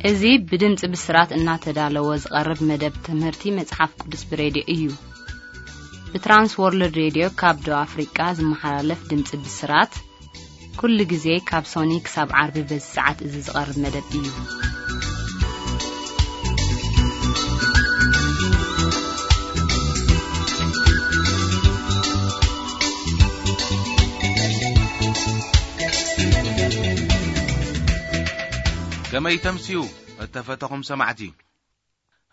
እዚ ብድምፂ ብስራት እናተዳለወ ዝቐርብ መደብ ትምህርቲ መጽሓፍ ቅዱስ ብሬድዮ እዩ። ብትራንስ ወርልድ ሬድዮ ካብ ደቡብ ኣፍሪቃ ዝመሓላለፍ ድምፂ ብስራት፣ ኩሉ ግዜ ካብ ሶኒ ክሳብ ዓርቢ በዚ ሰዓት እዚ ዝቐርብ መደብ እዩ። ከመይ ተምስዩ እተፈተኹም ሰማዕቲ?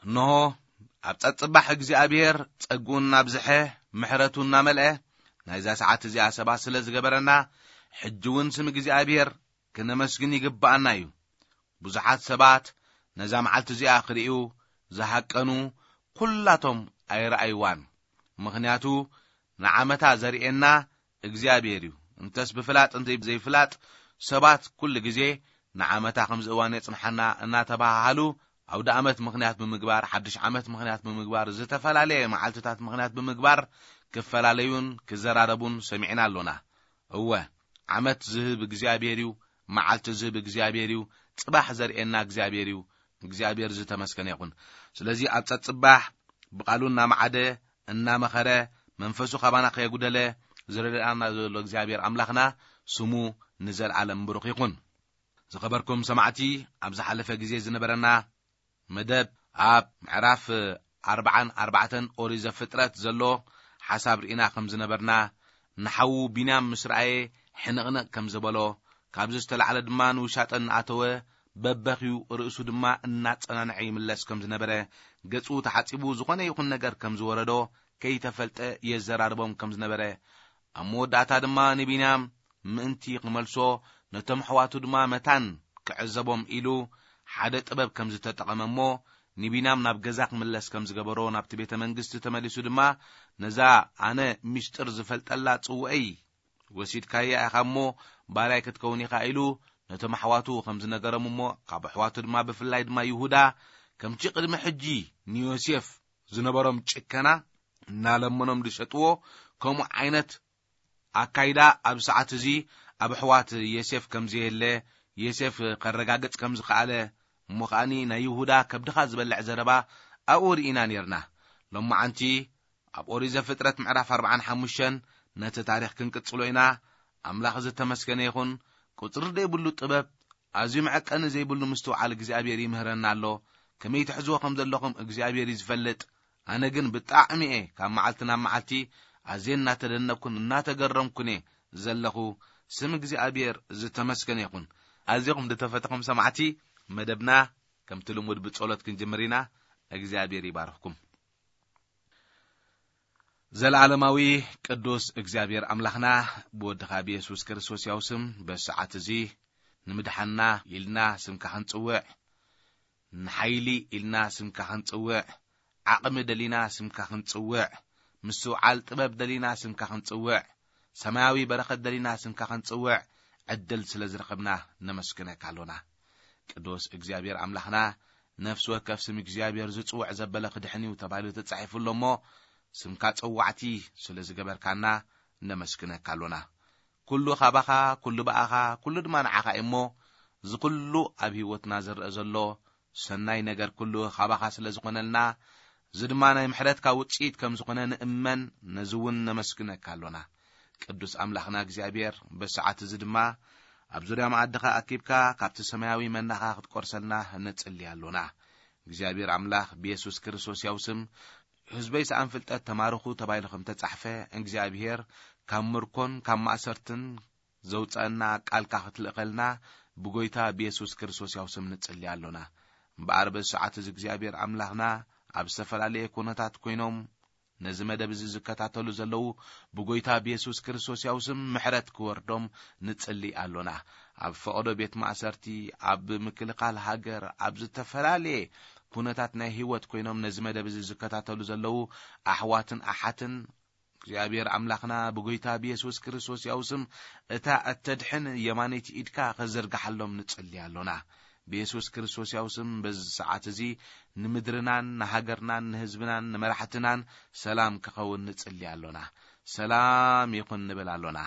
እንሆ፣ ኣብ ጸጽባሕ እግዚኣብሔር ጸግኡ እናብዝሐ፣ ምሕረቱ እናመልአ፣ ናይዛ ሰዓት እዚኣ ሰባት ስለ ዝገበረና፣ ሕጂ እውን ስም እግዚኣብሔር ክነመስግን ይግብኣና እዩ። ብዙሓት ሰባት ነዛ መዓልቲ እዚኣ ክርእዩ ዝሃቀኑ፣ ኩላቶም ኣይረኣይዋን። ምኽንያቱ፣ ንዓመታ ዘርእየና እግዚኣብሔር እዩ። እንተስ ብፍላጥ እንተ ዘይፍላጥ፣ ሰባት ኩሉ ግዜ ንዓመታ ከምዚ እዋን የጽንሓና እናተባሃሃሉ፣ ኣውደ ዓመት ምኽንያት ብምግባር፣ ሓድሽ ዓመት ምኽንያት ብምግባር፣ ዝተፈላለየ መዓልትታት ምኽንያት ብምግባር ክፈላለዩን ክዘራረቡን ሰሚዕና ኣሎና። እወ፣ ዓመት ዝህብ እግዚኣብሔር እዩ፣ መዓልቲ ዝህብ እግዚኣብሔር እዩ፣ ጽባሕ ዘርእየና እግዚኣብሔር እዩ። እግዚኣብሔር ዝተመስገነ ይኹን። ስለዚ ኣብ ጸጽባሕ ብቓሉ እናመዓደ፣ እናመኸረ፣ መንፈሱ ካባና ከየጉደለ ዝረድኣና ዘሎ እግዚኣብሔር ኣምላኽና ስሙ ንዘለኣለም ብሩኽ ይኹን። ዝኸበርኩም ሰማዕቲ፣ ኣብ ዝሓለፈ ግዜ ዝነበረና መደብ ኣብ ምዕራፍ ኣርባዓን ኣርባዕተን ኦሪት ዘፍጥረት ዘሎ ሓሳብ ርኢና ከም ዝነበርና፣ ንሓዉ ቢንያም ምስ ረኣየ ሕንቕንቕ ከም ዝበሎ፣ ካብዚ ዝተላዕለ ድማ ንውሻጠ እናኣተወ በበኺዩ ርእሱ ድማ እናጸናንዐ ይምለስ ከም ዝነበረ፣ ገጹ ተሓጺቡ ዝኾነ ይኹን ነገር ከም ዝወረዶ ከይተፈልጠ የዘራርቦም ከም ዝነበረ፣ ኣብ መወዳእታ ድማ ንቢንያም ምእንቲ ክመልሶ፣ ነቶም ኣሕዋቱ ድማ መታን ክዕዘቦም ኢሉ ሓደ ጥበብ ከም ዝተጠቐመ እሞ፣ ንቢንያም ናብ ገዛ ክምለስ ከም ዝገበሮ፣ ናብቲ ቤተ መንግስቲ ተመሊሱ ድማ፣ ነዛ ኣነ ሚስጥር ዝፈልጠላ ጽውዐይ ወሲድካያ ኢኻ እሞ፣ ባርያይ ክትከውን ኢኻ ኢሉ ነቶም ኣሕዋቱ ከም ዝነገሮም እሞ፣ ካብ ኣሕዋቱ ድማ ብፍላይ ድማ ይሁዳ፣ ከምቲ ቅድሚ ሕጂ ንዮሴፍ ዝነበሮም ጭከና እናለመኖም ዝሸጥዎ፣ ከምኡ ዓይነት ኣካይዳ ኣብ ሰዓት እዚ ኣብ ኣሕዋት ዮሴፍ ከም ዘየለ፣ ዮሴፍ ከረጋግጽ ከም ዝኸኣለ፣ እሞ ከኣኒ ናይ ይሁዳ ከብድኻ ዝበልዕ ዘረባ ኣብኡ ርኢና ኔርና። ሎማዓንቲ ኣብ ኦሪት ዘፍጥረት ምዕራፍ ኣርባዓን ሓሙሽተን ነቲ ታሪኽ ክንቅጽሎ ኢና። ኣምላኽ ዝተመስገነ ይኹን። ቁጽሪ ዘይብሉ ጥበብ፣ ኣዝዩ መዐቀኒ ዘይብሉ ምስትውዓል እግዚኣብሔር ይምህረና ኣሎ። ከመይ ትሕዝዎ ከም ዘለኹም እግዚኣብሔር እዩ ዝፈልጥ። ኣነ ግን ብጣዕሚ እየ ካብ መዓልቲ ናብ መዓልቲ ኣዝየ እናተደነቅኩን እናተገረምኩን እየ ዘለኹ። ስም እግዚኣብሔር ዝተመስገነ ይኹን። ኣዚኹም ዝተፈተኹም ሰማዕቲ፣ መደብና ከምቲ ልሙድ ብጸሎት ክንጅምር ኢና። እግዚኣብሔር ይባርኽኩም። ዘለዓለማዊ ቅዱስ እግዚኣብሔር ኣምላኽና፣ ብወድኻ ብየሱስ ክርስቶስ ያው ስም በሰዓት እዚ ንምድሓንና ኢልና ስምካ ክንጽውዕ፣ ንሓይሊ ኢልና ስምካ ክንጽውዕ፣ ዓቕሚ ደሊና ስምካ ክንጽውዕ፣ ምስትውዓል ጥበብ ደሊና ስምካ ክንጽውዕ፣ ሰማያዊ በረኸት ደሊና ስምካ ክንጽውዕ ዕድል ስለ ዝረኸብና ነመስግነካ ኣሎና። ቅዱስ እግዚኣብሔር ኣምላኽና፣ ነፍሲ ወከፍ ስም እግዚኣብሔር ዝጽውዕ ዘበለ ክድሕን እዩ ተባሂሉ ተጻሒፉ ኣሎ እሞ፣ ስምካ ጸዋዕቲ ስለ ዝገበርካና ነመስግነካ ኣሎና። ኩሉ ካባኻ፣ ኩሉ ብኣኻ፣ ኩሉ ድማ ንዓኻ እዩ እሞ፣ እዚ ኩሉ ኣብ ህይወትና ዝረአ ዘሎ ሰናይ ነገር ኩሉ ካባኻ ስለ ዝኾነልና፣ እዚ ድማ ናይ ምሕረትካ ውጽኢት ከም ዝኾነ ንእመን፣ ነዚ እውን ነመስግነካ ኣሎና። ቅዱስ ኣምላኽና እግዚኣብሔር፣ በሰዓት እዚ ድማ ኣብ ዙርያ መኣድኻ ኣኪብካ ካብቲ ሰማያዊ መናኻ ክትቆርሰልና ንጽሊ ኣሎና። እግዚኣብሔር ኣምላኽ፣ ብየሱስ ክርስቶስ ያው ስም፣ ህዝበይ ሰኣን ፍልጠት ተማርኹ ተባሂሉ ከም ተጻሕፈ፣ እግዚኣብሔር ካብ ምርኮን ካብ ማእሰርትን ዘውፀአና ቃልካ ክትልእኸልና ብጎይታ ብየሱስ ክርስቶስ ያው ስም ንጽሊ ኣሎና። እምበኣር በዚ ሰዓት እዚ እግዚኣብሔር ኣምላኽና ኣብ ዝተፈላለየ ኩነታት ኮይኖም ነዚ መደብ እዚ ዝከታተሉ ዘለዉ ብጎይታ ብየሱስ ክርስቶስ ያው ስም ምሕረት ክወርዶም ንጽሊ ኣሎና። ኣብ ፈቐዶ ቤት ማእሰርቲ፣ ኣብ ምክልኻል ሃገር፣ ኣብ ዝተፈላለየ ኩነታት ናይ ህይወት ኮይኖም ነዚ መደብ እዚ ዝከታተሉ ዘለዉ ኣሕዋትን ኣሓትን እግዚኣብሔር ኣምላኽና ብጎይታ ብየሱስ ክርስቶስ ያው ስም እታ እተድሕን የማነይቲ ኢድካ ከዘርግሓሎም ንጽሊ ኣሎና። ብየሱስ ክርስቶስ ያው ስም በዚ ሰዓት እዚ ንምድርናን ንሃገርናን ንህዝብናን ንመራሕትናን ሰላም ክኸውን ንጽሊ ኣሎና። ሰላም ይኹን ንብል ኣሎና።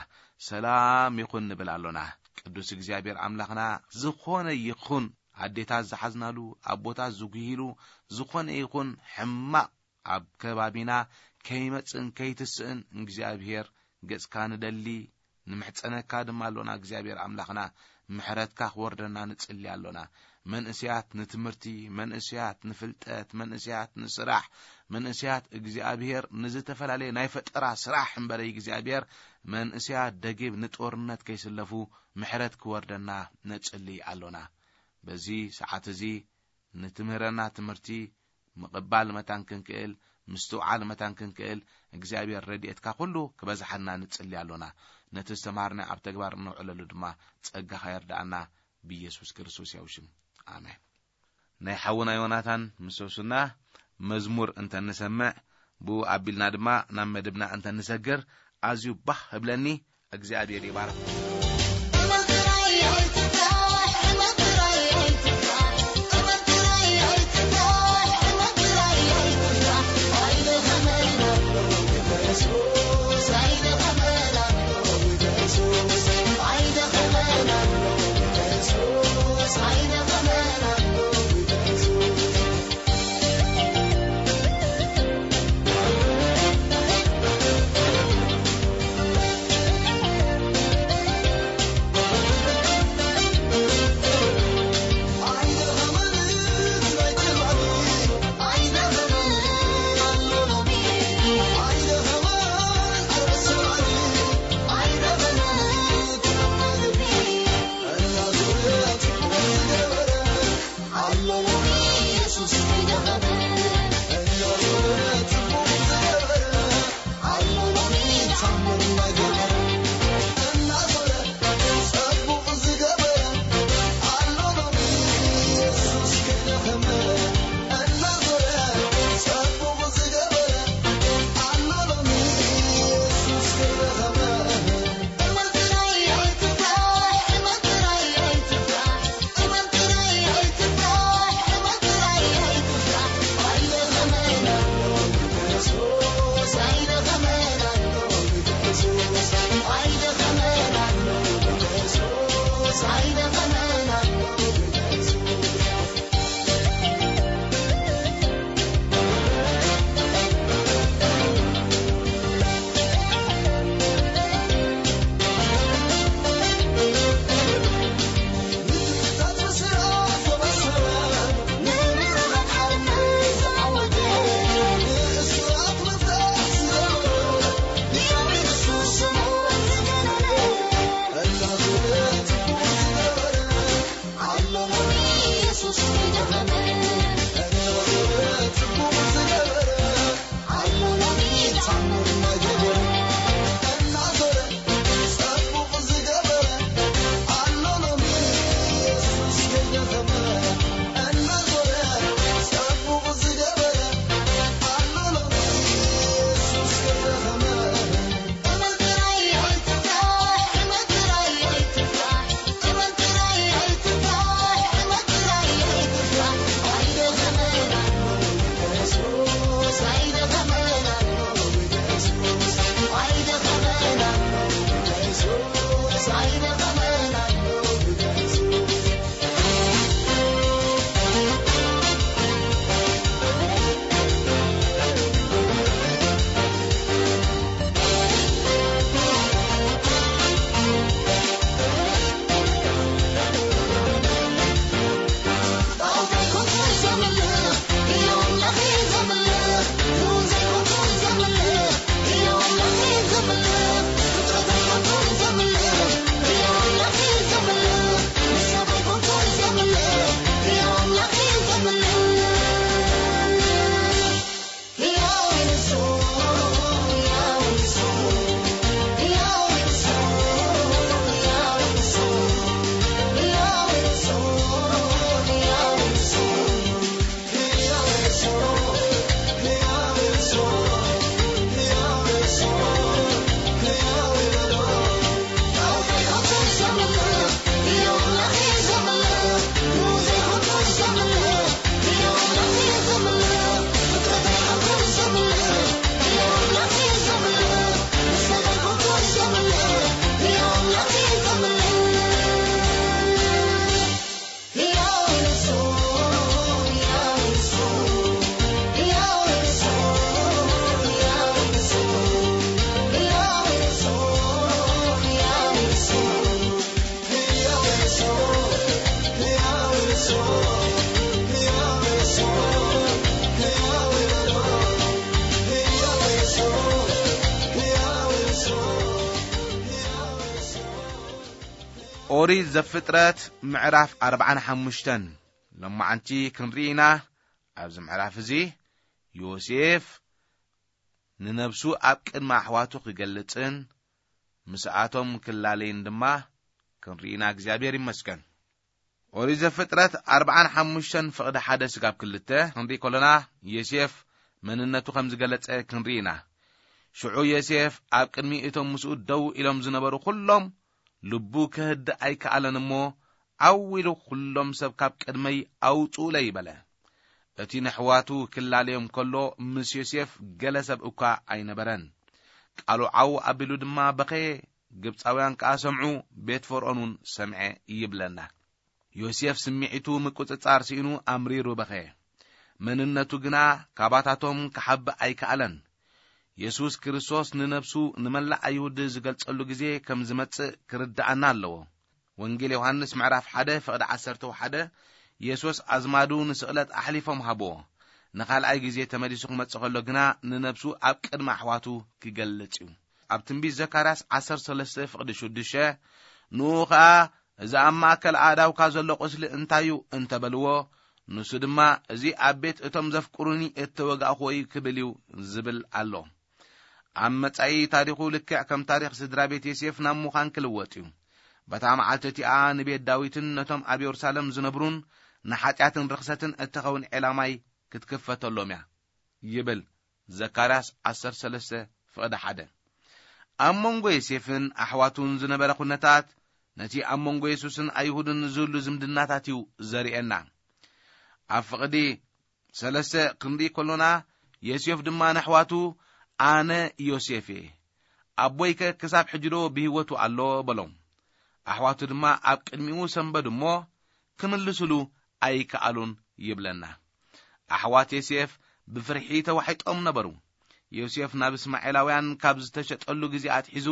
ሰላም ይኹን ንብል ኣሎና። ቅዱስ እግዚኣብሔር ኣምላኽና፣ ዝኾነ ይኹን ኣዴታት ዝሓዝናሉ፣ ኣቦታት ዝጉሂሉ፣ ዝኾነ ይኹን ሕማቕ ኣብ ከባቢና ከይመጽእን ከይትስእን እግዚኣብሔር ገጽካ ንደሊ፣ ንምሕጸነካ ድማ ኣሎና። እግዚኣብሔር ኣምላኽና ምሕረትካ ክወርደና ንጽሊ ኣሎና። መንእስያት ንትምህርቲ፣ መንእስያት ንፍልጠት፣ መንእስያት ንስራሕ፣ መንእስያት እግዚኣብሔር ንዝተፈላለየ ናይ ፈጠራ ስራሕ እምበረ እግዚኣብሔር መንእስያት ደጊብ ንጦርነት ከይስለፉ ምሕረት ክወርደና ነጽሊ ኣሎና። በዚ ሰዓት እዚ ንትምህረና ትምህርቲ ምቕባል መታን ክንክእል፣ ምስትውዓል መታን ክንክእል፣ እግዚኣብሔር ረድኤትካ ኩሉ ክበዝሓና ንጽሊ ኣሎና። ነቲ ዝተምሃርና ኣብ ተግባር እነውዕለሉ ድማ ጸጋኻ የርድኣና፣ ብኢየሱስ ክርስቶስ ያው ሽም። ኣሜን። ናይ ሓውና ዮናታን ምሰሱና መዝሙር እንተንሰምዕ፣ ብኡ ኣቢልና ድማ ናብ መደብና እንተንሰግር ኣዝዩ ባህ እብለኒ። እግዚኣብሔር ይባርክ። ኦሪት ዘፍጥረት ምዕራፍ ኣርባዓን ሓሙሽተን። ሎማዓንቲ ክንርኢ ኢና። ኣብዚ ምዕራፍ እዚ ዮሴፍ ንነብሱ ኣብ ቅድሚ ኣሕዋቱ ክገልጽን ምስኣቶም ክላለይን ድማ ክንርኢ ኢና። እግዚኣብሔር ይመስገን። ኦሪት ዘፍጥረት ኣርባዓን ሓሙሽተን ፍቕዲ ሓደ ስጋብ ክልተ ክንርኢ ከሎና፣ ዮሴፍ መንነቱ ከም ዝገለጸ ክንርኢ ኢና። ሽዑ ዮሴፍ ኣብ ቅድሚ እቶም ምስኡ ደው ኢሎም ዝነበሩ ኩሎም፣ ልቡ ክህድእ ኣይከኣለን እሞ፣ ዓው ኢሉ፣ "ኩሎም ሰብ ካብ ቅድመይ ኣውጽኡለይ" በለ። እቲ ነሕዋቱ ክላለዮም ከሎ፣ ምስ ዮሴፍ ገለ ሰብ እኳ ኣይነበረን። ቃሉ ዓው ኣቢሉ ድማ በኸየ፣ ግብጻውያን ከኣ ሰምዑ፣ ቤት ፈርዖን እውን ሰምዐ ይብለና። ዮሴፍ ስምዒቱ ምቁጽጻር ስኢኑ ኣምሪሩ በኸየ። መንነቱ ግና ካባታቶም ክሓብእ ኣይከኣለን። የሱስ ክርስቶስ ንነብሱ ንመላእ ኣይሁድ ዝገልጸሉ ግዜ ከም ዝመጽእ ክርድኣና ኣለዎ። ወንጌል ዮሃንስ ምዕራፍ ሓደ ፍቕዲ ዓሰርተ ሓደ፣ የሱስ ኣዝማዱ ንስቕለት ኣሕሊፎም ሃብዎ። ንኻልኣይ ግዜ ተመሊሱ ክመጽእ ከሎ ግና ንነብሱ ኣብ ቅድሚ ኣሕዋቱ ክገልጽ እዩ። ኣብ ትንቢት ዘካርያስ ዓሰርተ ሰለስተ ፍቕዲ ሽዱሽተ፣ ንኡ ኸኣ፣ "እዚ ኣብ ማእከል ኣእዳውካ ዘሎ ቁስሊ እንታይ እዩ?" እንተበልዎ፣ ንሱ ድማ፣ "እዚ ኣብ ቤት እቶም ዘፍቅሩኒ እተወጋእኽዎ እዩ" ክብል እዩ ዝብል ኣሎ። ኣብ መጻኢ ታሪኹ ልክዕ ከም ታሪኽ ስድራ ቤት ዮሴፍ ናብ ምዃን ክልወጥ እዩ። በታ መዓልቲ እቲኣ ንቤት ዳዊትን ነቶም ኣብ የሩሳሌም ዝነብሩን ንሓጢኣትን ርኽሰትን እትኸውን ዒላማይ ክትክፈተሎም እያ ይብል ዘካርያስ ዓሰርተ ሰለስተ ፍቕዲ ሓደ። ኣብ መንጎ ዮሴፍን ኣሕዋቱን ዝነበረ ኩነታት ነቲ ኣብ መንጎ የሱስን ኣይሁድን ዝህሉ ዝምድናታት እዩ ዘርእየና። ኣብ ፍቕዲ ሰለስተ ክንርኢ ከሎና፣ ዮሴፍ ድማ ንኣሕዋቱ፣ "ኣነ ዮሴፍ እየ፣ ኣቦይከ ክሳብ ሕጂ ዶ ብህይወቱ ኣሎ?" በሎም። ኣሕዋቱ ድማ ኣብ ቅድሚኡ ሰንበዱ እሞ፣ ክምልስሉ ኣይከኣሉን ይብለና። ኣሕዋት ዮሴፍ ብፍርሒ ተዋሒጦም ነበሩ። ዮሴፍ ናብ እስማኤላውያን ካብ ዝተሸጠሉ ግዜ ኣትሒዙ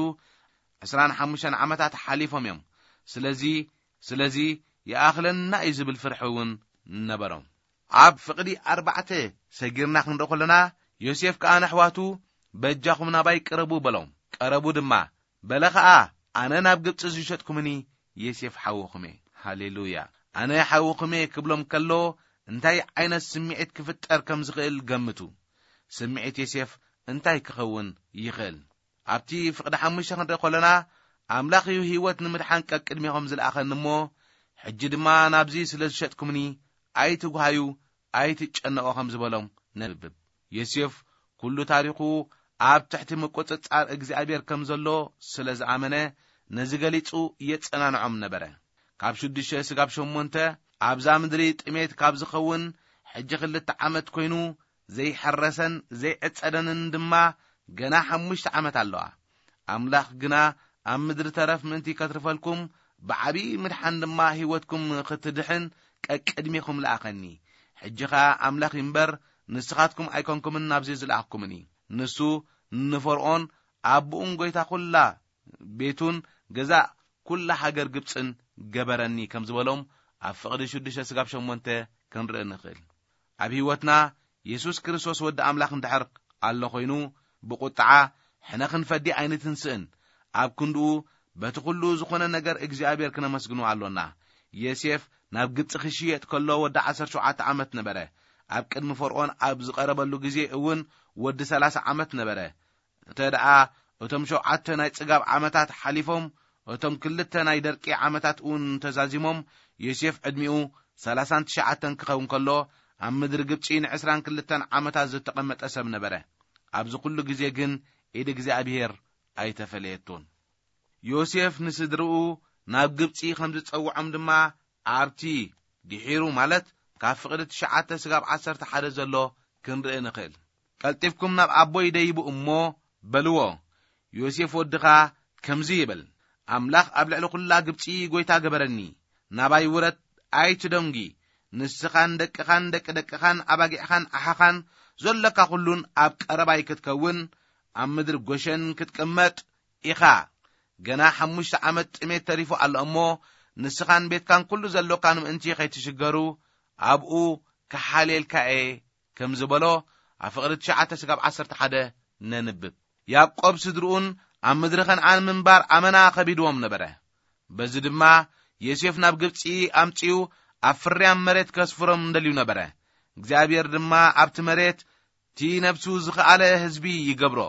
ዕስራን ሓሙሽተን ዓመታት ሓሊፎም እዮም። ስለዚ፣ ስለዚ ይኣኽለና እዩ ዝብል ፍርሒ እውን ነበሮም። ኣብ ፍቕዲ ኣርባዕተ ሰጊርና ክንርኢ ከለና፣ ዮሴፍ ከኣ ንኣሕዋቱ፣ "በጃኹም ናባይ ቅረቡ" በሎም። ቀረቡ ድማ። በለ ኸኣ፣ "ኣነ ናብ ግብጺ ዝሸጥኩምኒ ዮሴፍ ሓውኹም እየ።" ሃሌሉያ። "ኣነ ሓውኹም እየ" ክብሎም ከሎ፣ እንታይ ዓይነት ስምዒት ክፍጠር ከም ዝኽእል ገምቱ። ስምዒት ዮሴፍ እንታይ ክኸውን ይኽእል? ኣብቲ ፍቕዲ ሓሙሽተ ክንርኢ ከለና፣ "ኣምላኽ እዩ ህይወት ንምድሓን ቀቅድሜኹም ዝለኣኸኒ እሞ፣ ሕጂ ድማ ናብዚ ስለ ዝሸጥኩምኒ፣ ኣይትጉሃዩ፣ ኣይትጨነቑ" ከም ዝበሎም ነንብብ። ዮሴፍ ኩሉ ታሪኹ ኣብ ትሕቲ ምቁጽጻር እግዚኣብሔር ከም ዘሎ ስለ ዝኣመነ፣ ነዚ ገሊጹ የጸናንዖም ነበረ። ካብ ሽዱሽተ ስጋብ ሸሞንተ ኣብዛ ምድሪ ጥሜት ካብ ዝኸውን ሕጂ ክልተ ዓመት ኮይኑ፣ ዘይሐረሰን ዘይዕጸደንን ድማ ገና ሓሙሽተ ዓመት ኣለዋ። ኣምላኽ ግና ኣብ ምድሪ ተረፍ ምእንቲ ከትርፈልኩም፣ ብዓብዪ ምድሓን ድማ ህይወትኩም ክትድሕን ቀቅድሜኹም ለኣኸኒ። ሕጂ ኸኣ ኣምላኽ እምበር ንስኻትኩም ኣይኮንኩምን ናብዚ ዝለኣኽኩምኒ። ንሱ ንፈርዖን ኣቦኡን ጐይታ ኵላ ቤቱን ገዛእ ኵላ ሃገር ግብጽን ገበረኒ ከም ዝበሎም ኣብ ፍቕዲ ሽዱሽተ ስጋብ ሸሞንተ ክንርኢ ንኽእል። ኣብ ህይወትና የሱስ ክርስቶስ ወዲ ኣምላኽ እንድሕር ኣሎ ኾይኑ፣ ብቁጥዓ ሕነ ክንፈዲ ኣይንትንስእን። ኣብ ክንድኡ በቲ ኹሉ ዝኾነ ነገር እግዚኣብሔር ክነመስግኖ ኣሎና። ዮሴፍ ናብ ግብጺ ክሽየጥ ከሎ ወዲ ዓሰርተ ሸውዓተ ዓመት ነበረ። ኣብ ቅድሚ ፈርዖን ኣብ ዝቐረበሉ ግዜ እውን ወዲ ሰላሳ ዓመት ነበረ። እንተ ደኣ እቶም ሸውዓተ ናይ ጽጋብ ዓመታት ሓሊፎም፣ እቶም ክልተ ናይ ደርቂ ዓመታት እውን ተዛዚሞም፣ ዮሴፍ ዕድሚኡ ሰላሳን ትሽዓተን ክኸውን ከሎ፣ ኣብ ምድሪ ግብጺ ንዕስራን ክልተን ዓመታት ዝተቐመጠ ሰብ ነበረ። ኣብዚ ኩሉ ግዜ ግን ኢድ እግዚኣብሔር ኣይተፈለየቶን። ዮሴፍ ንስድርኡ ናብ ግብጺ ከም ዝጸውዖም ድማ ኣብቲ ድሒሩ፣ ማለት ካብ ፍቕዲ ትሽዓተ ስጋብ ዓሰርተ ሓደ ዘሎ ክንርኢ ንኽእል። "ቀልጢፍኩም ናብ ኣቦይ ደይቡ እሞ በልዎ፣ ዮሴፍ ወድኻ ከምዚ ይብል፣ ኣምላኽ ኣብ ልዕሊ ኵላ ግብጺ ጐይታ ገበረኒ። ናባይ ውረድ፣ ኣይትደንጒ። ንስኻን ደቅኻን ደቂ ደቅኻን ኣባጊዕኻን ኣሓኻን፣ ዘሎካ ኹሉን ኣብ ቀረባይ ክትከውን፣ ኣብ ምድሪ ጐሸን ክትቅመጥ ኢኻ። ገና ሓሙሽተ ዓመት ጥሜት ተሪፉ ኣሎ እሞ፣ ንስኻን ቤትካን ኩሉ ዘሎካን ምእንቲ ኸይትሽገሩ፣ ኣብኡ ክሓልየልካ እየ" ከም ዝበሎ፣ ኣብ ፍቕዲ ትሽዓተ ስጋብ ዓሰርተ ሓደ ነንብብ። ያዕቆብ ስድርኡን ኣብ ምድሪ ኸነዓን ምንባር ኣመና ኸቢድዎም ነበረ። በዚ ድማ ዮሴፍ ናብ ግብጺ ኣምጺኡ ኣብ ፍርያም መሬት ከስፍሮም እንደልዩ ነበረ። እግዚኣብሔር ድማ ኣብቲ መሬት እቲ ነብሱ ዝኸኣለ ህዝቢ ይገብሮ።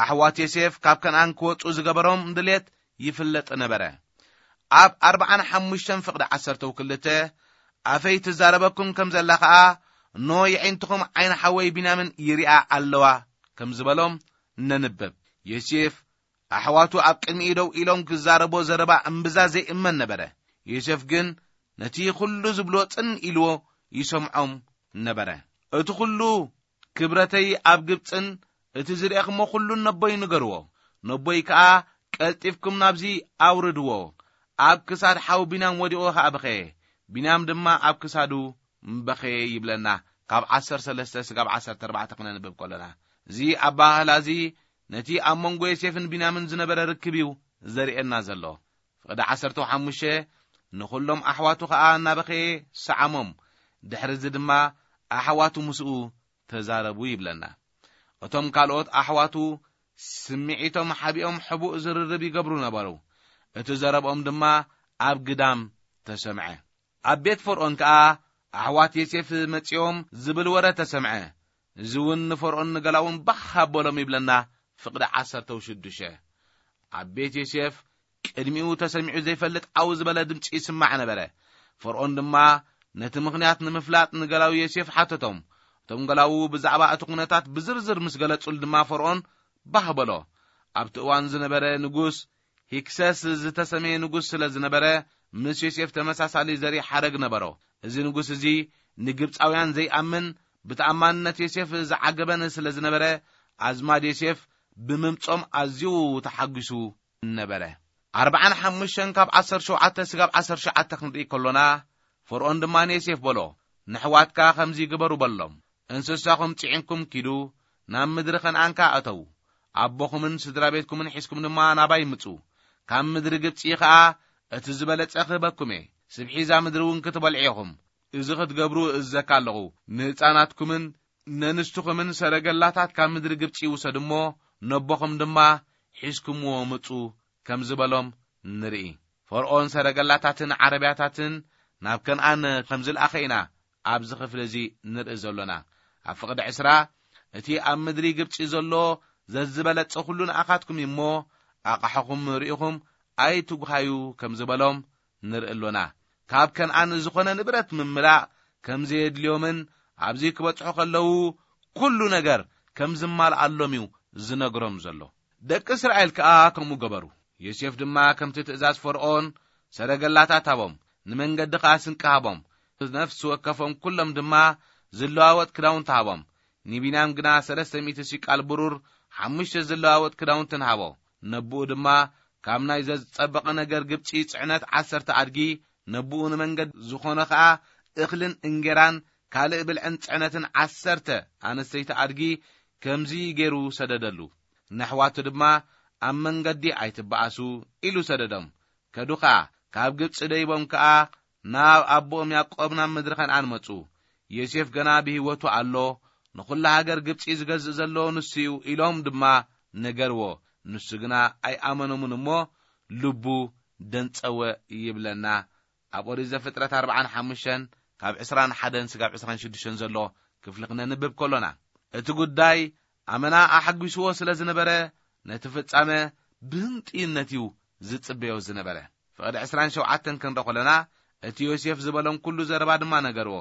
ኣሕዋት ዮሴፍ ካብ ከነኣን ክወጹ ዝገበሮም ድሌት ይፍለጥ ነበረ። ኣብ ኣርብዓን ሓሙሽተን ፍቕዲ ዓሰርተው ክልተ ኣፈይ ትዛረበኩም ከም ዘላ ኸኣ፣ እኖ የዒንትኹም ዓይኒ ሓወይ ቢንያምን ይሪኣ ኣለዋ ከም ዝበሎም ነንብብ። ዮሴፍ ኣሕዋቱ ኣብ ቅድሚኡ ደው ኢሎም ክዛረቦ ዘረባ እምብዛ ዘይእመን ነበረ። ዮሴፍ ግን ነቲ ኹሉ ዝብሎ ጽን ኢልዎ ይሰምዖም ነበረ። እቲ ኹሉ ክብረተይ ኣብ ግብጽን እቲ ዝርእኽሞ ኹሉን ነቦይ ንገርዎ። ነቦይ ከኣ ቀልጢፍኩም ናብዚ ኣውርድዎ። ኣብ ክሳድ ሓው ቢንያም ወዲቑ ከኣ በኸየ። ቢንያም ድማ ኣብ ክሳዱ በኸየ ይብለና። ካብ ዓሰርተ ሰለስተ ስጋብ ዓሰርተ ኣርባዕተ ክነንብብ ከሎና፣ እዚ ኣባህላ እዚ ነቲ ኣብ መንጎ ዮሴፍን ቢንያምን ዝነበረ ርክብ እዩ ዘርእየና ዘሎ። ፍቕዲ ዓሰርተ ሓሙሽተ ንኹሎም ኣሕዋቱ ኸኣ እናበኸየ ሰዓሞም። ድሕሪ እዚ ድማ ኣሕዋቱ ምስኡ ተዛረቡ ይብለና። እቶም ካልኦት ኣሕዋቱ ስምዒቶም ሓቢኦም ሕቡእ ዝርርብ ይገብሩ ነበሩ። እቲ ዘረብኦም ድማ ኣብ ግዳም ተሰምዐ። ኣብ ቤት ፈርኦን ከኣ ኣሕዋት ዮሴፍ መጺኦም ዝብል ወረ ተሰምዐ። እዚ እውን ንፈርኦን ንገላውን ባህ ኣበሎም ይብለና። ፍቕዲ ዓሰርተ ሽዱሽተ ኣብ ቤት ዮሴፍ ቅድሚኡ ተሰሚዑ ዘይፈልጥ ዓው ዝበለ ድምጺ ይስማዕ ነበረ። ፈርኦን ድማ ነቲ ምኽንያት ንምፍላጥ ንገላዊ ዮሴፍ ሓተቶም። እቶም ገላዉ ብዛዕባ እቲ ኩነታት ብዝርዝር ምስ ገለጹሉ ድማ ፈርኦን ባህ በሎ። ኣብቲ እዋን ዝነበረ ንጉስ ሂክሰስ ዝተሰመየ ንጉስ ስለ ዝነበረ፣ ምስ ዮሴፍ ተመሳሳሊ ዘርኢ ሓረግ ነበሮ። እዚ ንጉስ እዚ ንግብጻውያን ዘይኣምን፣ ብተኣማንነት ዮሴፍ ዝዓገበን ስለ ዝነበረ፣ ኣዝማድ ዮሴፍ ብምምጾም ኣዝዩ ተሓጒሱ ነበረ። ኣርብዓን ሓሙሽተን ካብ ዓሰርተ ሸውዓተ ስጋብ ዓሰርተ ትሽዓተ ክንርኢ ከሎና፣ ፈርኦን ድማ ንዮሴፍ በሎ፣ "ንሕዋትካ ከምዚ ግበሩ በሎም፣ እንስሳኹም ጽዒንኩም ኪዱ፣ ናብ ምድሪ ከነኣን ከኣ እተዉ። ኣቦኹምን ስድራ ቤትኩምን ሒዝኩም ድማ ናባይ ምጹ። ካብ ምድሪ ግብጺ ኸኣ እቲ ዝበለጸ ክህበኩም እየ። ስብሒዛ ምድሪ እውን ክትበልዑ ኢኹም። እዚ ክትገብሩ እእዝዘካ ኣለኹ። ንህጻናትኩምን ነንስትኹምን ሰረገላታት ካብ ምድሪ ግብጺ ውሰዱ እሞ፣ ነቦኹም ድማ ሒዝኩምዎ ምጹ" ከም ዝበሎም ንርኢ። ፈርኦን ሰረገላታትን ዓረብያታትን ናብ ከነኣን ከም ዝለኣኸ ኢና ኣብዚ ክፍሊ እዚ ንርኢ ዘሎና። ኣብ ፍቕዲ ዕስራ፣ "እቲ ኣብ ምድሪ ግብጺ ዘሎ ዘዝበለጸ ኩሉ ንኣኻትኩም እዩ እሞ፣ ኣቕሓኹም ርኢኹም ኣይትጉሃዩ" ከም ዝበሎም ንርኢ ኣሎና። ካብ ከነኣን ዝኾነ ንብረት ምምላእ ከም ዘየድልዮምን ኣብዚ ክበጽሑ ከለዉ ኩሉ ነገር ከም ዝማልኣሎም እዩ ዝነግሮም ዘሎ። ደቂ እስራኤል ከኣ ከምኡ ገበሩ። ዮሴፍ ድማ ከምቲ ትእዛዝ ፈርኦን ሰረገላታት ሃቦም፣ ንመንገዲ ከኣ ስንቂ ሃቦም። ነፍሲ ወከፎም ኩሎም ድማ ዝለዋወጥ ክዳውንቲ ሃቦም። ንቢንያም ግና ሰለስተ ሚእቲ ሲቃል ብሩር፣ ሓሙሽተ ዝለዋወጥ ክዳውንትን ሃቦ። ነብኡ ድማ ካብ ናይ ዘዝጸበቐ ነገር ግብጺ ጽዕነት ዓሰርተ ኣድጊ፣ ነብኡ ንመንገዲ ዝኾነ ኸኣ እኽልን እንጌራን ካልእ ብልዕን ጽዕነትን ዓሰርተ ኣንስተይቲ ኣድጊ ከምዚ ገይሩ ሰደደሉ። ነሕዋቱ ድማ፣ "ኣብ መንገዲ ኣይትበኣሱ" ኢሉ ሰደዶም። ከዱ ኸኣ፣ ካብ ግብጺ ደይቦም ከኣ ናብ ኣቦኦም ያዕቆብ ናብ ምድሪ ከነኣን መጹ። ዮሴፍ ገና ብህይወቱ ኣሎ፣ ንኹላ ሃገር ግብጺ ዝገዝእ ዘሎ ንሱ እዩ ኢሎም ድማ ነገርዎ። ንሱ ግና ኣይኣመኖምን እሞ ልቡ ደንጸወ ይብለና። ኣብ ኦሪት ዘፍጥረት ኣርብዓን ሓሙሽተን ካብ ዕስራን ሓደን ስጋብ ዕስራን ሽዱሽተን ዘሎ ክፍሊ ክነንብብ ከሎና፣ እቲ ጉዳይ ኣመና ኣሐጒስዎ ስለ ዝነበረ፣ ነቲ ፍጻመ ብህንጥዩነት እዩ ዝጽበዮ ዝነበረ። ፍቕዲ ዕስራን ሸውዓተን ክንርኢ ከለና፣ እቲ ዮሴፍ ዝበሎም ኩሉ ዘረባ ድማ ነገርዎ።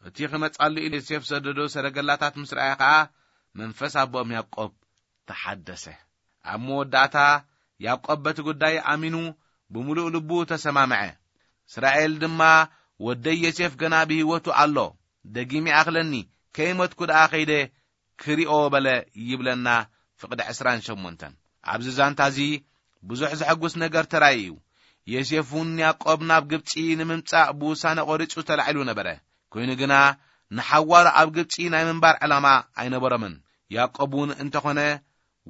እቲ ክመጻሉ ኢሉ ዮሴፍ ሰደዶ ሰረገላታት ምስ ረኣየ ኸኣ፣ መንፈስ ኣቦኦም ያዕቆብ ተሓደሰ። ኣብ መወዳእታ፣ ያዕቆብ በቲ ጉዳይ ኣሚኑ ብምሉእ ልቡ ተሰማምዐ። እስራኤል ድማ፣ "ወደይ ዮሴፍ ገና ብህይወቱ ኣሎ፣ ደጊም ይኣኽለኒ፣ ከይሞትኩ ደኣ ኸይደ ክሪኦ" በለ ይብለና ፍቕዲ ዕስራን ሸሞንተን። ኣብዚ ዛንታ እዚ ብዙሕ ዘሐጉስ ነገር ተራእዩ እዩ። ዮሴፍ እውን ያዕቆብ ናብ ግብጺ ንምምጻእ ብውሳነ ቆሪጹ ተላዒሉ ነበረ። ኮይኑ ግና ንሓዋሩ ኣብ ግብጺ ናይ ምንባር ዕላማ ኣይነበሮምን። ያዕቆብ እውን እንተኾነ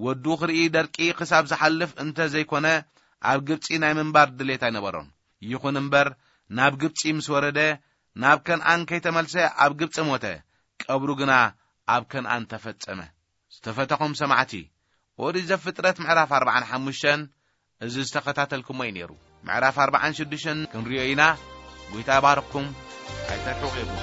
ወዱ ክርኢ ደርቂ ክሳብ ዝሓልፍ እንተ ዘይኮነ ኣብ ግብጺ ናይ ምንባር ድሌት ኣይነበሮን። ይኹን እምበር ናብ ግብጺ ምስ ወረደ ናብ ከነኣን ከይተመልሰ ኣብ ግብጺ ሞተ። ቀብሩ ግና ኣብ ከነኣን ተፈጸመ። ዝተፈተኹም ሰማዕቲ፣ ኦሪት ዘፍጥረት ምዕራፍ ኣርብዓን ሓሙሽተን እዚ ዝተኸታተልኩሞ እዩ ነይሩ። ምዕራፍ ኣርባዓን ሽዱሽተን ክንሪኦ ኢና። ጎይታ ይባርኽኩም። ኣይተርሕቑ ኢኹም።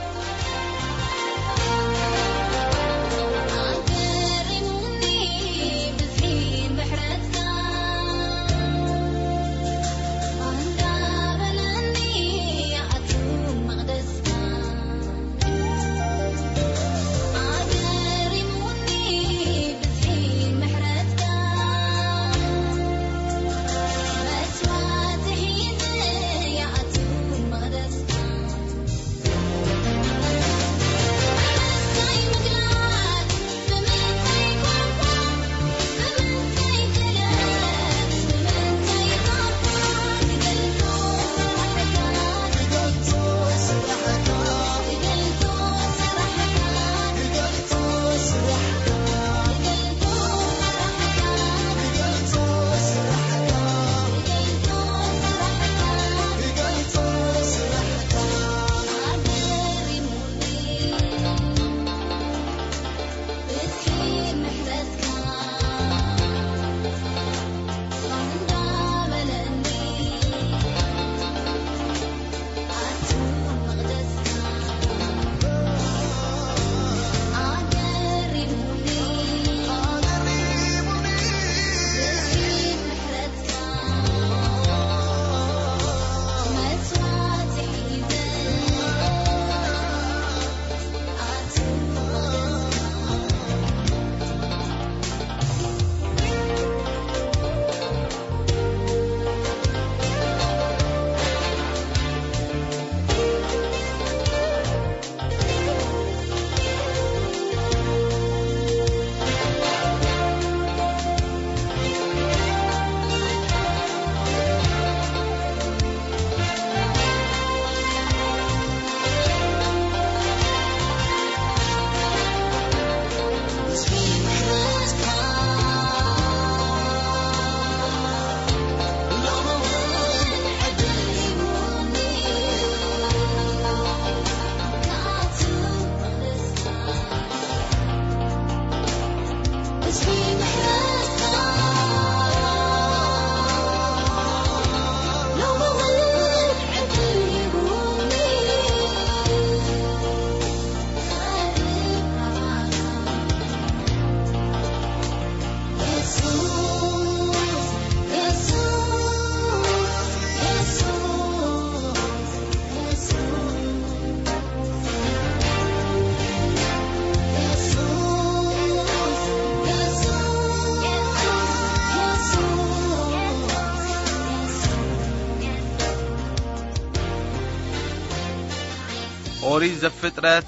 ኦሪት ዘፍጥረት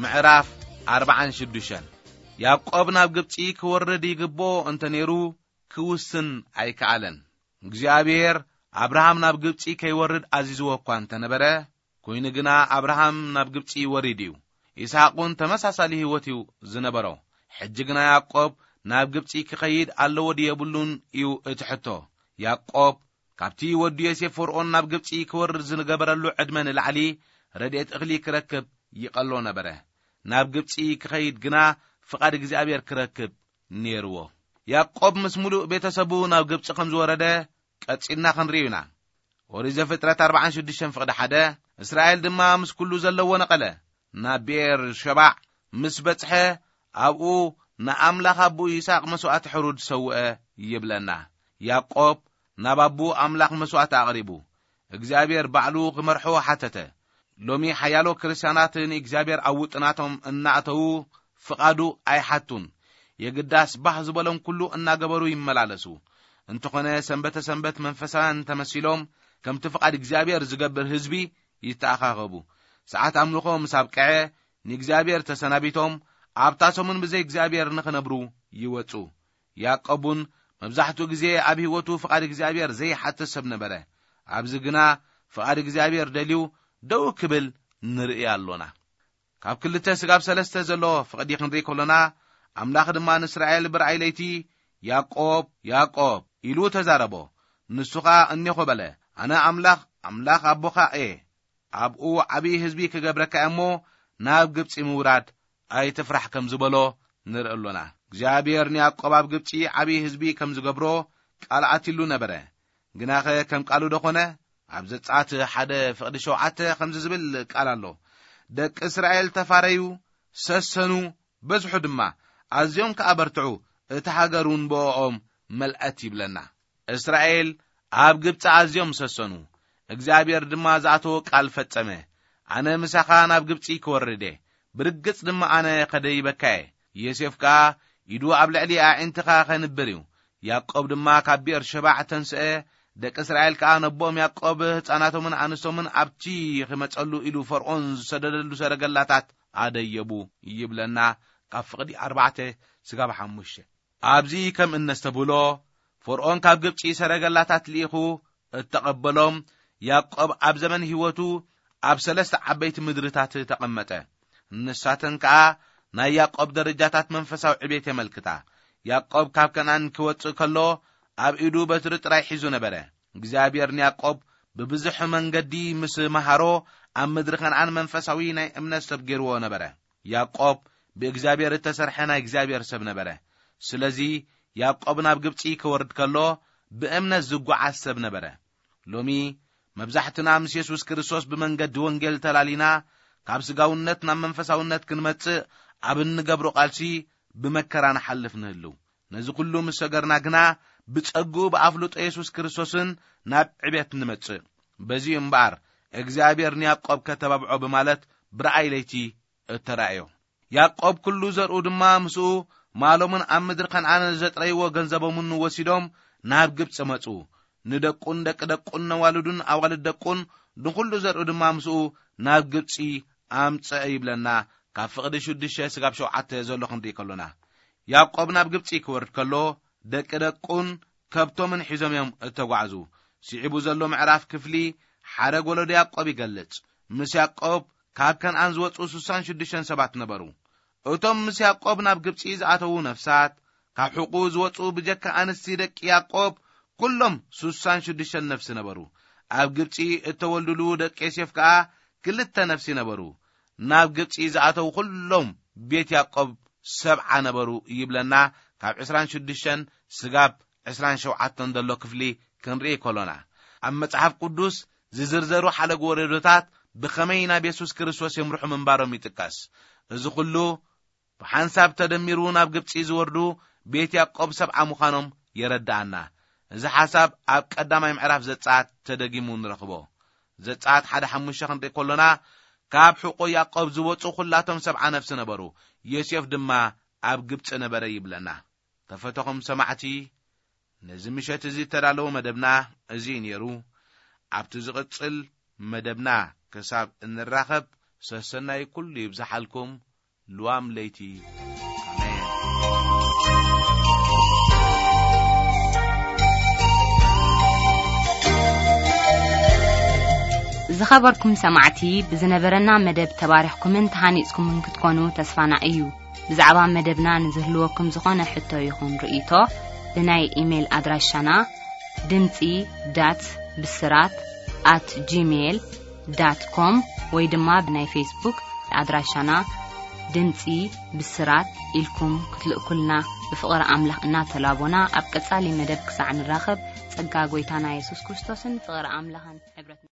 ምዕራፍ ኣርባዓን ሽዱሽተን። ያዕቆብ ናብ ግብጺ ክወርድ ይግብኦ እንተ ነይሩ፣ ክውስን ኣይከኣለን። እግዚኣብሔር ኣብርሃም ናብ ግብጺ ከይወርድ ኣዚዝዎ እኳ እንተ ነበረ፣ ኮይኑ ግና ኣብርሃም ናብ ግብጺ ወሪዱ እዩ። ይስሐቅ እውን ተመሳሳሊ ህይወት እዩ ዝነበሮ። ሕጂ ግና ያዕቆብ ናብ ግብጺ ክኸይድ ኣለዎ ድዩ የብሉን እዩ እቲ ሕቶ። ያዕቆብ ካብቲ ወዲ ዮሴፍ ፈርዖን ናብ ግብጺ ክወርድ ዝገበረሉ ዕድመ ንላዕሊ ረድኤት እኽሊ ክረክብ ይቐሎ ነበረ። ናብ ግብጺ ክኸይድ ግና ፍቓድ እግዚኣብሔር ክረክብ ነይርዎ። ያዕቆብ ምስ ምሉእ ቤተሰቡ ናብ ግብጺ ከም ዝወረደ ቀጺልና ክንርእዩ ኢና። ኦሪት ዘፍጥረት ኣርባዓን ሽዱሽተን ፍቕዲ ሓደ፣ እስራኤል ድማ ምስ ኩሉ ዘለዎ ነቐለ፣ ናብ ብኤር ሸባዕ ምስ በጽሐ ኣብኡ ንኣምላኽ ኣቦኡ ይስሐቅ መስዋእቲ ሕሩድ ሰውአ ይብለና። ያዕቆብ ናብ ኣቦኡ ኣምላኽ መስዋእቲ ኣቕሪቡ፣ እግዚኣብሔር ባዕሉ ክመርሖ ሓተተ። ሎሚ ሓያሎ ክርስትያናት ንእግዚኣብሔር ኣብ ውጥናቶም እናእተዉ ፍቓዱ ኣይሓቱን። የግዳስ ባህ ዝበሎም ኩሉ እናገበሩ ይመላለሱ። እንተኾነ ሰንበተ ሰንበት መንፈሳውያን ተመሲሎም ከምቲ ፍቓድ እግዚኣብሔር ዝገብር ህዝቢ ይተኣኻኸቡ። ሰዓት ኣምልኾ ምስ ኣብቅዐ ንእግዚኣብሔር ተሰናቢቶም ኣብታ ሰሙን ብዘይ እግዚኣብሔር ንኽነብሩ ይወጹ። ያዕቆብ እውን መብዛሕትኡ ግዜ ኣብ ህይወቱ ፍቓድ እግዚኣብሔር ዘይሓትት ሰብ ነበረ። ኣብዚ ግና ፍቓድ እግዚኣብሔር ደልዩ ደው ክብል ንርኢ ኣሎና። ካብ ክልተ ስጋብ ሰለስተ ዘሎ ፍቕዲ ክንርኢ ከሎና፣ ኣምላኽ ድማ ንእስራኤል ብርኣይ ለይቲ፣ "ያዕቆብ፣ ያዕቆብ" ኢሉ ተዛረቦ። ንሱ ኸኣ "እኔኹ" በለ። "ኣነ ኣምላኽ፣ ኣምላኽ ኣቦኻ እየ፣ ኣብኡ ዓብዪ ህዝቢ ክገብረካ እየ እሞ ናብ ግብጺ ምውራድ ኣይትፍራሕ" ከም ዝበሎ ንርኢ ኣሎና። እግዚኣብሔር ንያዕቆብ ኣብ ግብጺ ዓብዪ ህዝቢ ከም ዝገብሮ ቃል ኣትሉ ነበረ። ግናኸ ከም ቃሉ ዶ ኾነ? ኣብ ዘጸኣት ሓደ ፍቕዲ ሸውዓተ ከምዚ ዝብል ቃል ኣሎ፣ ደቂ እስራኤል ተፋረዩ፣ ሰሰኑ፣ በዝሑ ድማ፣ ኣዝዮም ከኣ በርትዑ፣ እታ ሃገር እውን ብእኦም መልአት ይብለና። እስራኤል ኣብ ግብጺ ኣዝዮም ሰሰኑ፣ እግዚኣብሔር ድማ ዝኣተዎ ቃል ፈጸመ። ኣነ ምሳኻ ናብ ግብጺ ክወርድ እየ፣ ብርግጽ ድማ ኣነ ከደይበካ እየ። ዮሴፍ ከኣ ኢዱ ኣብ ልዕሊ ኣዒንትኻ ኸንብር እዩ። ያዕቆብ ድማ ካብ ብኤርሸባዕ ተንስአ፣ ደቂ እስራኤል ከኣ ነቦኦም ያዕቆብ ህፃናቶምን ኣንስቶምን ኣብቲ ኽመጸሉ ኢሉ ፈርዖን ዝሰደደሉ ሰረገላታት ኣደየቡ ይብለና። ካብ ፍቕዲ ኣርባዕተ ስጋብ ሓሙሽተ። ኣብዚ ከም እነስተብህሎ፣ ፈርዖን ካብ ግብጺ ሰረገላታት ልኢኹ እተቐበሎም። ያዕቆብ ኣብ ዘመን ህይወቱ ኣብ ሰለስተ ዓበይቲ ምድርታት ተቐመጠ። ንሳተን ከኣ ናይ ያዕቆብ ደረጃታት መንፈሳዊ ዕቤት የመልክታ። ያዕቆብ ካብ ከነኣን ክወጽእ ከሎ ኣብ ኢዱ በትሪ ጥራይ ሒዙ ነበረ። እግዚኣብሔር ንያዕቆብ ብብዙሕ መንገዲ ምስ መሃሮ ኣብ ምድሪ ከነኣን መንፈሳዊ ናይ እምነት ሰብ ገይርዎ ነበረ። ያዕቆብ ብእግዚኣብሔር እተሰርሐ ናይ እግዚኣብሔር ሰብ ነበረ። ስለዚ ያዕቆብ ናብ ግብጺ ክወርድ ከሎ ብእምነት ዝጓዓዝ ሰብ ነበረ። ሎሚ መብዛሕትና ምስ የሱስ ክርስቶስ ብመንገዲ ወንጌል ተላሊና ካብ ስጋውነት ናብ መንፈሳውነት ክንመጽእ ኣብ እንገብሮ ቃልሲ ብመከራ ንሓልፍ ንህልው። ነዚ ኩሉ ምስ ሰገርና ግና ብጸግኡ ብኣፍልጦ የሱስ ክርስቶስን ናብ ዕቤት ንመጽእ። በዚ እምበኣር እግዚኣብሔር ንያዕቆብ ከተባብዖ ብማለት ብረኣይ ለይቲ እተራእዮ። ያዕቆብ ኩሉ ዘርኡ ድማ ምስኡ ማሎምን ኣብ ምድሪ ከነዓን ዘጥረይዎ ገንዘቦምን ወሲዶም ናብ ግብጺ መጹ። ንደቁን ደቂ ደቁን ነዋልዱን ኣዋልድ ደቁን ንኹሉ ዘርኡ ድማ ምስኡ ናብ ግብጺ ኣምጽአ ይብለና። ካብ ፍቕዲ ሽዱሽተ ስጋብ ሸውዓተ ዘሎ ክንርኢ ከሎና፣ ያዕቆብ ናብ ግብጺ ክወርድ ከሎ ደቂ ደቁን ከብቶምን ሒዞም እዮም እተጓዕዙ። ስዒቡ ዘሎ ምዕራፍ ክፍሊ ሓረግ ወለዶ ያዕቆብ ይገልጽ። ምስ ያዕቆብ ካብ ከነኣን ዝወጹ ስሳን ሽዱሽተን ሰባት ነበሩ። እቶም ምስ ያዕቆብ ናብ ግብጺ ዝኣተዉ ነፍሳት፣ ካብ ሕቑ ዝወጹ ብጀካ ኣንስቲ ደቂ ያዕቆብ ኩሎም ስሳን ሽዱሽተን ነፍሲ ነበሩ። ኣብ ግብጺ እተወልዱሉ ደቂ ዮሴፍ ከኣ ክልተ ነፍሲ ነበሩ። ናብ ግብጺ ዝኣተዉ ኩሎም ቤት ያዕቆብ ሰብዓ ነበሩ ይብለና። ካብ ዕስራን ሽዱሽተን ስጋብ ዕስራን ሸውዓተን ዘሎ ክፍሊ ክንርኢ ከሎና፣ ኣብ መጽሓፍ ቅዱስ ዝዝርዘሩ ሓለግ ወለዶታት ብኸመይ ናብ የሱስ ክርስቶስ የምርሑ ምንባሮም ይጥቀስ። እዚ ኩሉ ብሓንሳብ ተደሚሩ ናብ ግብጺ ዝወርዱ ቤት ያዕቆብ ሰብዓ ምዃኖም የረድኣና። እዚ ሓሳብ ኣብ ቀዳማይ ምዕራፍ ዘጸኣት ተደጊሙ ንረኽቦ። ዘጸኣት ሓደ ሓሙሽተ ክንርኢ ከሎና፣ ካብ ሕቆ ያዕቆብ ዝወጹ ኩላቶም ሰብዓ ነፍሲ ነበሩ፣ ዮሴፍ ድማ ኣብ ግብጺ ነበረ ይብለና። ተፈተኹም ሰማዕቲ፣ ነዚ ምሸት እዚ እተዳለወ መደብና እዚ እዩ ነይሩ። ኣብቲ ዝቕጽል መደብና ክሳብ እንራኸብ፣ ሰሰናይ ኩሉ ይብዝሓልኩም። ልዋም ለይቲ። ኣሜን። ዝኸበርኩም ሰማዕቲ፣ ብዝነበረና መደብ ተባሪኽኩምን ተሃኒጽኩምን ክትኮኑ ተስፋና እዩ። ብዛዕባ መደብና ንዝህልወኩም ዝኾነ ሕቶ ይኹን ርእይቶ፣ ብናይ ኢሜይል ኣድራሻና ድምጺ ዳት ብስራት ኣት ጂሜይል ዳት ኮም ወይ ድማ ብናይ ፌስቡክ ኣድራሻና ድምጺ ብስራት ኢልኩም ክትልእኩልና ብፍቕሪ ኣምላኽ እናተላቦና፣ ኣብ ቀጻሊ መደብ ክሳዕ ንራኸብ፣ ጸጋ ጐይታና የሱስ ክርስቶስን ፍቕሪ ኣምላኽን